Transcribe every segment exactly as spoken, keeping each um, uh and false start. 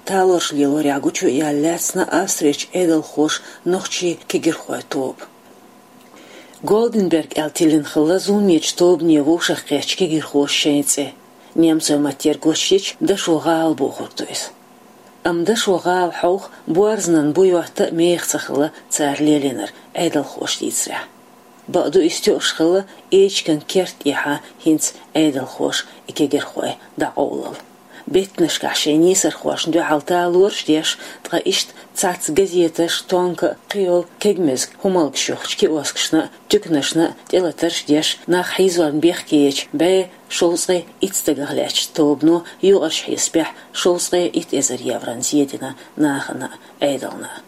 Талораш лелорехь гучу а яьлла лаьцна Австрерчу Ӏедалхоша нохчий кегирхойн тоба. Голденберг аьлла тиллина хилла зуламечу тобане вовшахкхеттачу кегирхоша шайн цӀе. Немцойн маттера гочдича, Дашо-гӀала бохург ду иза. Амма Дашо-гӀала хьовха, боьрзанан бу йотта а меха ца хилла цара лелийнарг, Ӏедалхоша дийцарехь. Бакъду, иза тоьуш хилла эчиган керта тӀехьа хӀинца Ӏедалхоша и кегирхой дӀакъовлал. Беттанашкахь шайн нийсархошна дуьхьал талораш а деш, ткъа иштта цхьацца газеташ, тонка а, кхийолу кегамеза хӀумалгаш юхучу киоскашна а, туьканашна а тӀелатарш а деш, нах хьийзорна бехкеечу бӀе шовзткъе итт стагах лаьттачу тобано юкъарчу хьесапехь шовзткъе итт эзар еврона зе дина нахана а, Ӏедална а.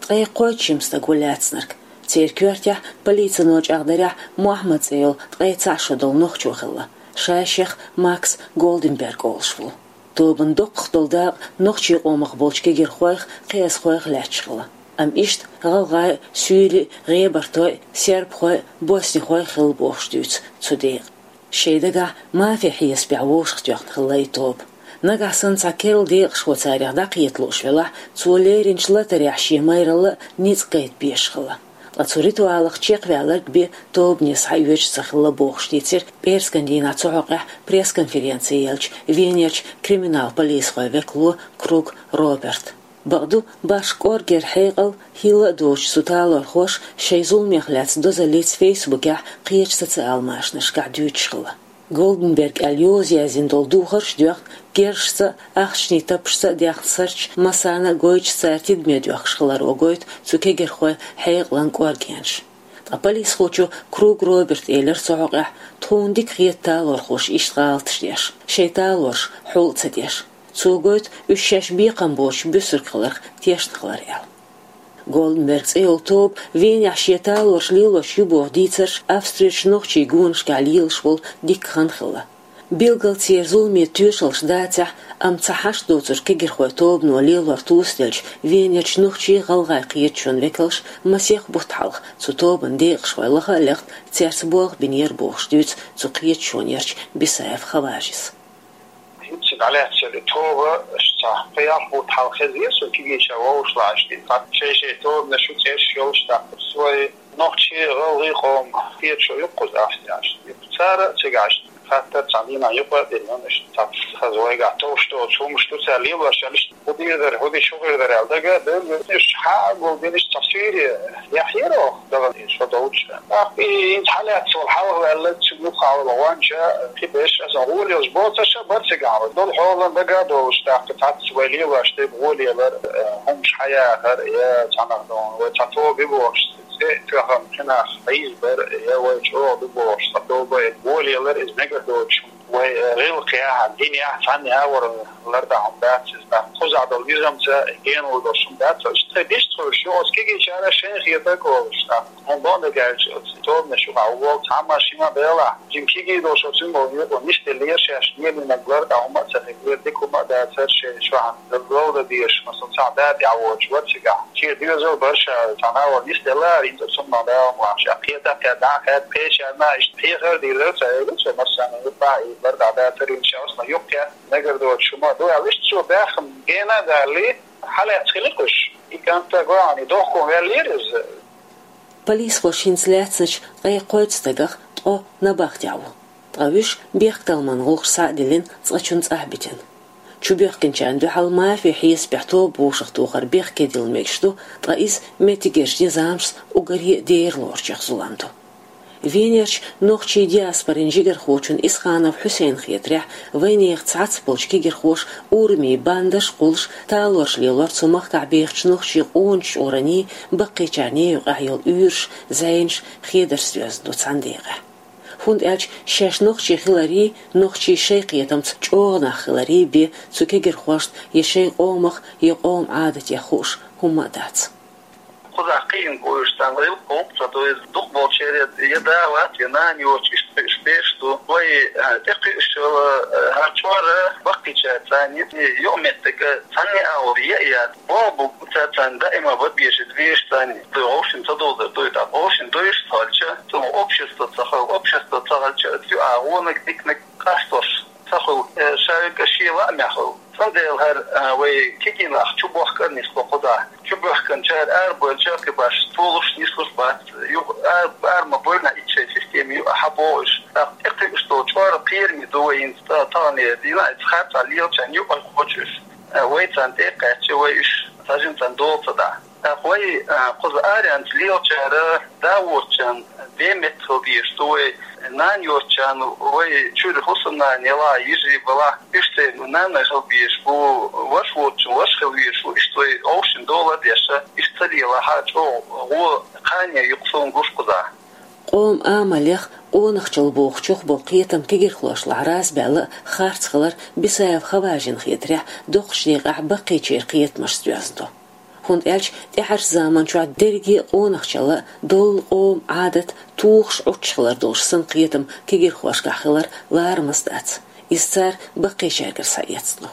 Ткъе кхойтта жима стаг ву лаьцнарг. Церан коьртехь, полицино чӀагӀдарехь, Мохьмад цӀе йолу ткъе цхьаъ шо долу нохчо хилла. Ша-шех Макс Голденберг олуш ву. Тобанан доккхах долу дакъа нохчийн къомах болчу кегирхойх, кхиазхойх лаьтташ хилла. Амма иштта гӀалгӀай а, суьйлийн а, гӀебартой а, сербхой а, боснихой а хилла бохуш дуьйцу цу декъан. Шайн дагахь мафи хьесапехь вовшахтоьхна хилла и тоба. Нагахь санна цхьа керла декъашхо царех дӀакхета лууш велахь, цо леринчу латарехь шен майралла а, ницкъ а гайта безаш хилла. Ткъа цу ритуалах чекхваьлларг бен тобане схьаоьцуш ца хилла бохуш дийцира пӀераскан дийнахь цу хьокъехь пресс-конференци еллачу Венерчу криминал полисхойн векало Круг Роберта. Бакъду, башха кӀоргера хьекъал хилла а доцуш, цу талорхоша шайн зуламех лаьцна дозаллица Фейсбукехь, кхечу социал машанашкахь дуьйцуш хилла. Голденберг аьлла йоза яздина долу духарш а доьхна, герзашца а, ахчанийн тапашца а даьхна сарч, массарна а гойтуш, цара тидаме доьхкуш хиларо гойту цу кегирхойн хьекъалан кӀоргенаш. Ткъа полисхочо Круг Роберта элира цу хьокъехь, тхуна дика хета талорхоша иштта гӀалаташ деш, шайн талораш хьул а ца деш. Цо гойту уьш шаьш бекхам боцуш буьсург хиларх тешна хилар аьлла. Голденберг цӀе йолу тоба Венехь шен талораш лелош ю боху дийцарш Австрерчу нохчийн гонашкахь лелаш волу дикка хан хилла. Билггал церан зуламе тоьшаллаш дацахь, амма цхьа хьашт доцург кегирхойн тобано лелор тосаделча, Венерчу нохчийн, гӀалгӀайн кхеташонан векалш масех бутт хьалха цу тобанан декъашхой лаха а лехна, цаьрца болх бинера бохуш дуьйцу цу кхеташонерчу Бисаев Хаважис. ХӀинца дӀалаьцна и тоба, ша пхи-ялх бутт хьалха хезира со кегийчара вовшахлаьцна. Цхьа шай-шай тобанаш ю, цӀераш йолуш, тӀаккха вай нохчийн, гӀалгӀайн къоман кхеташо ю кхуза Австрехь. Цара цигахь хаттар цхьана дийнахь юкъа а дина, иштта цхьацца хаза вайгахь товш доцу хӀуманаш ду цара лелош аьлла, иштта хӀун дийр дара, хӀун дийр, хӀун хир дара аьлла дага а девлла, уьш хьа а гулдина, иштта цхьа суьйре яхьъяра оха, дахана шо долчу. ТӀаккха и хӀинца хьалаьцна волу хьалха ваьлла, цуьнан юххехь волу гӀоьнча, кхин берш а сан гӀоле йолуш боцурш а бара цигахь, долу хьолан дага а долуш, тӀаккха цхьацца вай лелош дерг гӀоле ялар, э, хӀуманаш хьаяхар, я цхьанхьа вай цхьа тоба ю бохуш, цӀе а тоьхна, кхин нах хьийзабар, я вай чӀогӀа ду бохуш, цхьа тоба а гӀоле ялар, иза мегар доцуш. Вай, э, гӀиллакхехь, динехь, цхьаннехь а вара лардан хӀума дац иза. Кхузахь долу низамца генавала долуш хӀума дац. Иштта тхайн дешнаш ю, оцу кегийчара шайна хетарг олуш. ТӀаккха хӀун боху дагахь аьлча, оцу тобанаш юкъахь ву волу цхьамма шимма белахь, жима кегий долуш оцу цуьнга йо-, нисделлера шаьш, лелийнарг лар, ткъа хӀума а ца хилира, дика хӀума а дацара шайна, чохь галда дезаш, масала, цхьа да тӀехь воцуш вара цигахь. Шен доьзал бара ша, цхьана а вара нисделлара, хӀинца цунна ма баьлла ма ша, кхета а кхетта, дӀа а кхетта, кхечарна а иштта хьехар а дийр дара, ца элира цо, массарна юкъахь и лар дӀадацара, хӀинца ша оцунах юккъе, мегар доцуш хӀума а ду аьлла, иштта цо баьхна гена а даллий, хьалаьцна хилира уьш. И кӀант а гой хьуна, и дохкон ваьллера иза. Полисхоша хӀинца лаьцначу ткъе кхойтта стагах ткъо набахтехь ву. Ткъа уьш бехктакхаман гӀуллакхаш схьа а диллина, цкъачунна цӀахь а битина. Чубоьхкинчарна дуьхьал мафи хьесапехь тоба вовшахтохар бехке дилла мегаш ду, ткъа иза меттигерчу низамашца уггаре а дера лоручех зулам ду. Венерчу нохчийн диаспорин жигархочун Исханов Хьусейнан хетарехь, вайнехан цхьацца болчу кегирхоша урамийн бандаш а кхуллуш, талораш лелор цу махкахь бехачу нохчийн къоначу чкъуранийн, баккхийчарний юкъахь йолу уьйраш, зӀенаш хедарца доьзна ду цхьана декъехь. ХӀунда аьлча шаьш нохчий хиларий, нохчий шайн кхетамца чӀогӀа нах хиларий бен цу кегирхошна я шайн къомах, я къоман Ӏадатех хууш хӀумма а дац. Кхузахь кхиъна бу уьш, царна гӀиллакх гӀуллакх ца ду иза. Дукхахболчеран я да вац, я нана йоцуш, иштта уьш берш ду. Вай, а, тӀекхуьуш йолу, а, хӀара чкъор баккхийчаьрца цхьаьна, юкъаметтиг цхьанне а агӀор яа яц. Боху бу цаьрца цхьаьна даима бан безаш, безаш цхьаьна. Ду вовшийн ца дузур дуй, тӀаккха вовшийн дуйш ца хилча, цунах общество ца хуьлу, общество ца хилча, цу а гӀонаг, диканаг къастош ца хуьлу, э, ша верг а шен лаамехь хуьлу. Цудухьа хӀара, а, вай кегийнах чубохкар нисло кхуза. Чубохканчар арабойлча кхибаш толуш нислуш бац. Юха ар-, ара ма бойла итт шай система ю, а хьабогӀуш. ТӀаккха тӀекхуьуш долу чӀор кхераме ду вай хӀинца тӀа, тахана дийнахь а харцахь лелачарна юкъара кхочуш. А, вай царна тӀекхаьчча, вай уьш цхьа жимма царна дола ца дахь. ТӀаккха вай, а, кхуза аренца лелачара да воцучарна бен метта хила дезаш ду вай, нана йоцучарна вай чуьра хӀусамнана ялахь, йижарий балахь, уьш церан нанна хила безаш бу, ваша воцучун ваша хила везаш ву, иштта вай овшин дола а деш, иштта ца лелахь, чӀогӀа гӀо, кхане юкъа суна гуш кхуза. Къоман амалех къонахчалла бохучух болу кхетам кегирхошлахь раза баьлла а, харц хилар Бисаев Хаважина хетарехь доккхачу декъехь баккхийчеран кхетамашца доьзна ду. ХӀунда аьлча тӀаьхьарчу заманчохь дерриге а къонахчалла, доллу къоман Ӏадат тухуш, Ӏуттуш хилар долуш санна кхетам кегирхошкахь хилар ларамаза дац. Иза цара баккхийчаьргара схьаэцна ду.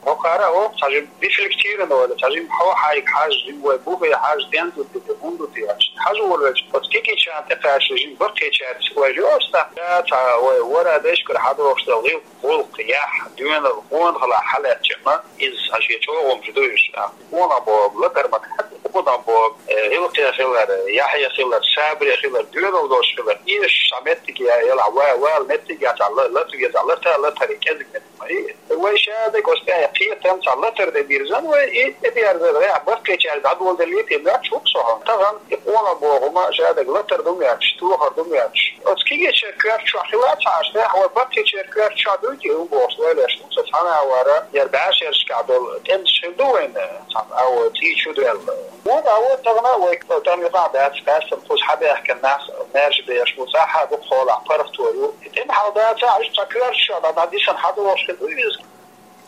ХӀокхара оха цхьа жимма дефлектировано вайла, цхьа жимма хьо хьайга хьажа, жимма вай бухе хьажа, ден ду те, хӀунда ду те аьлча. Хьажа волавелча, оцу кегийчарна тӀекхача жимма баккхийчаьрца вай лоьхуш дац, цхьа вай вара дайшкара хьадогӀуш долу гӀуллакх, яхь, доьналла, къонахалла хьалаьцча ма, иза цхьа шен чӀогӀа хӀумаш ду уьш. Къонах боху латар ма дац, къонах боху, э, гӀиллакхе хилар, яхье хилар, сабаре хилар, доьналла долуш хилар. Эшаш цхьа меттиг я, ялахь ва-, вала меттиг я, цхьа ла-, лата веза, лата, латаре кӀезиг меттиг ма ю. Вай ша дерг оцу тӀехь кхетам цхьа латар де дирзан вай, и тӀедерзар гӀехь баккхийчаьрга дӀадоладеллий те моьттуш ву-кх со хьуна. Тахана и къонах боху хӀума ша дерг латар ду моьттуш, тохар ду моьттуш. Оцу кегийчеран коьрта чохь хила ца Ӏаш, тӀехь вай баккхийчеран коьрта чохь дуй те хӀун бохуш вай леш ву со цхьана а вара, яра бӀешерашкахь долу тӀемаш хир ду вайна, цхьана а вай цӀий чу доьлла. Вон а вон тахана вай тӀам юкъахь дац, къаьстина кхуза хьабаьхкина нах маьрша бехаш бу, цӀахь а дукха хьолахь паргӀато ю. И тӀеман хьал дацахь, уьш цхьа коьрта чохь дӀа-, дӀадисина хьадогӀуш хир ду иза.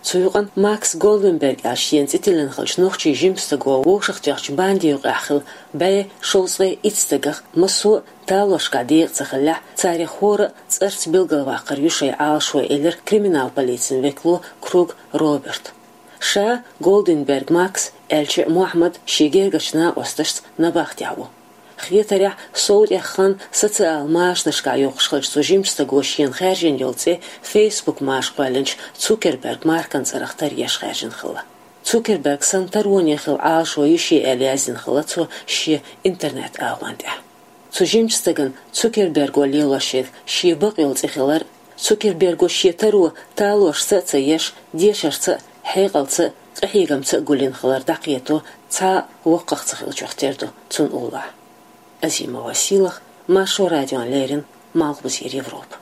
Цу юкъана Макс Голденберг аьлла шена цӀе тиллина хиллачу нохчийн жимачу стага вовшахтоьхначу банди юкъахь хилла бӀе шовзткъе итт стагах массо а талорашкахь декъа ца хиллехь, царах хӀора а цӀарца билгалваккхар ю шайн Ӏалашо, элира криминал полицин векало Круг Роберта. Ша Голденберг Макс, аьлча а Мохьмад шен гергарчу накъосташца набахтехь ву. Хетарехь, сов тӀех хан социал машанашкахь йоккхуш хиллачу цу жимачу стага шена хаьржина йолу цӀе Facebook маша кхоьллинчу Цукерберг Маркан цӀарах тара еш хаьржина хилла. Цукерберг санна тароне хилла Ӏалашо ю шен аьлла яздина хилла цо шен интернет-агӀон тӀехь. Цу жимачу стагана Цукерберго лелош ерг шен бакъйолу цӀе хилар, Цукерберго шен таро талорашца а ца еш, дешарца а, хьекъалца а, къахьегамца а гулйина хилар дӀакхето цхьа а воккхах ца хиллачух тера ду цунна уллохь. Азима Василах, Маршо радиона леррина, Малхбузера Европа.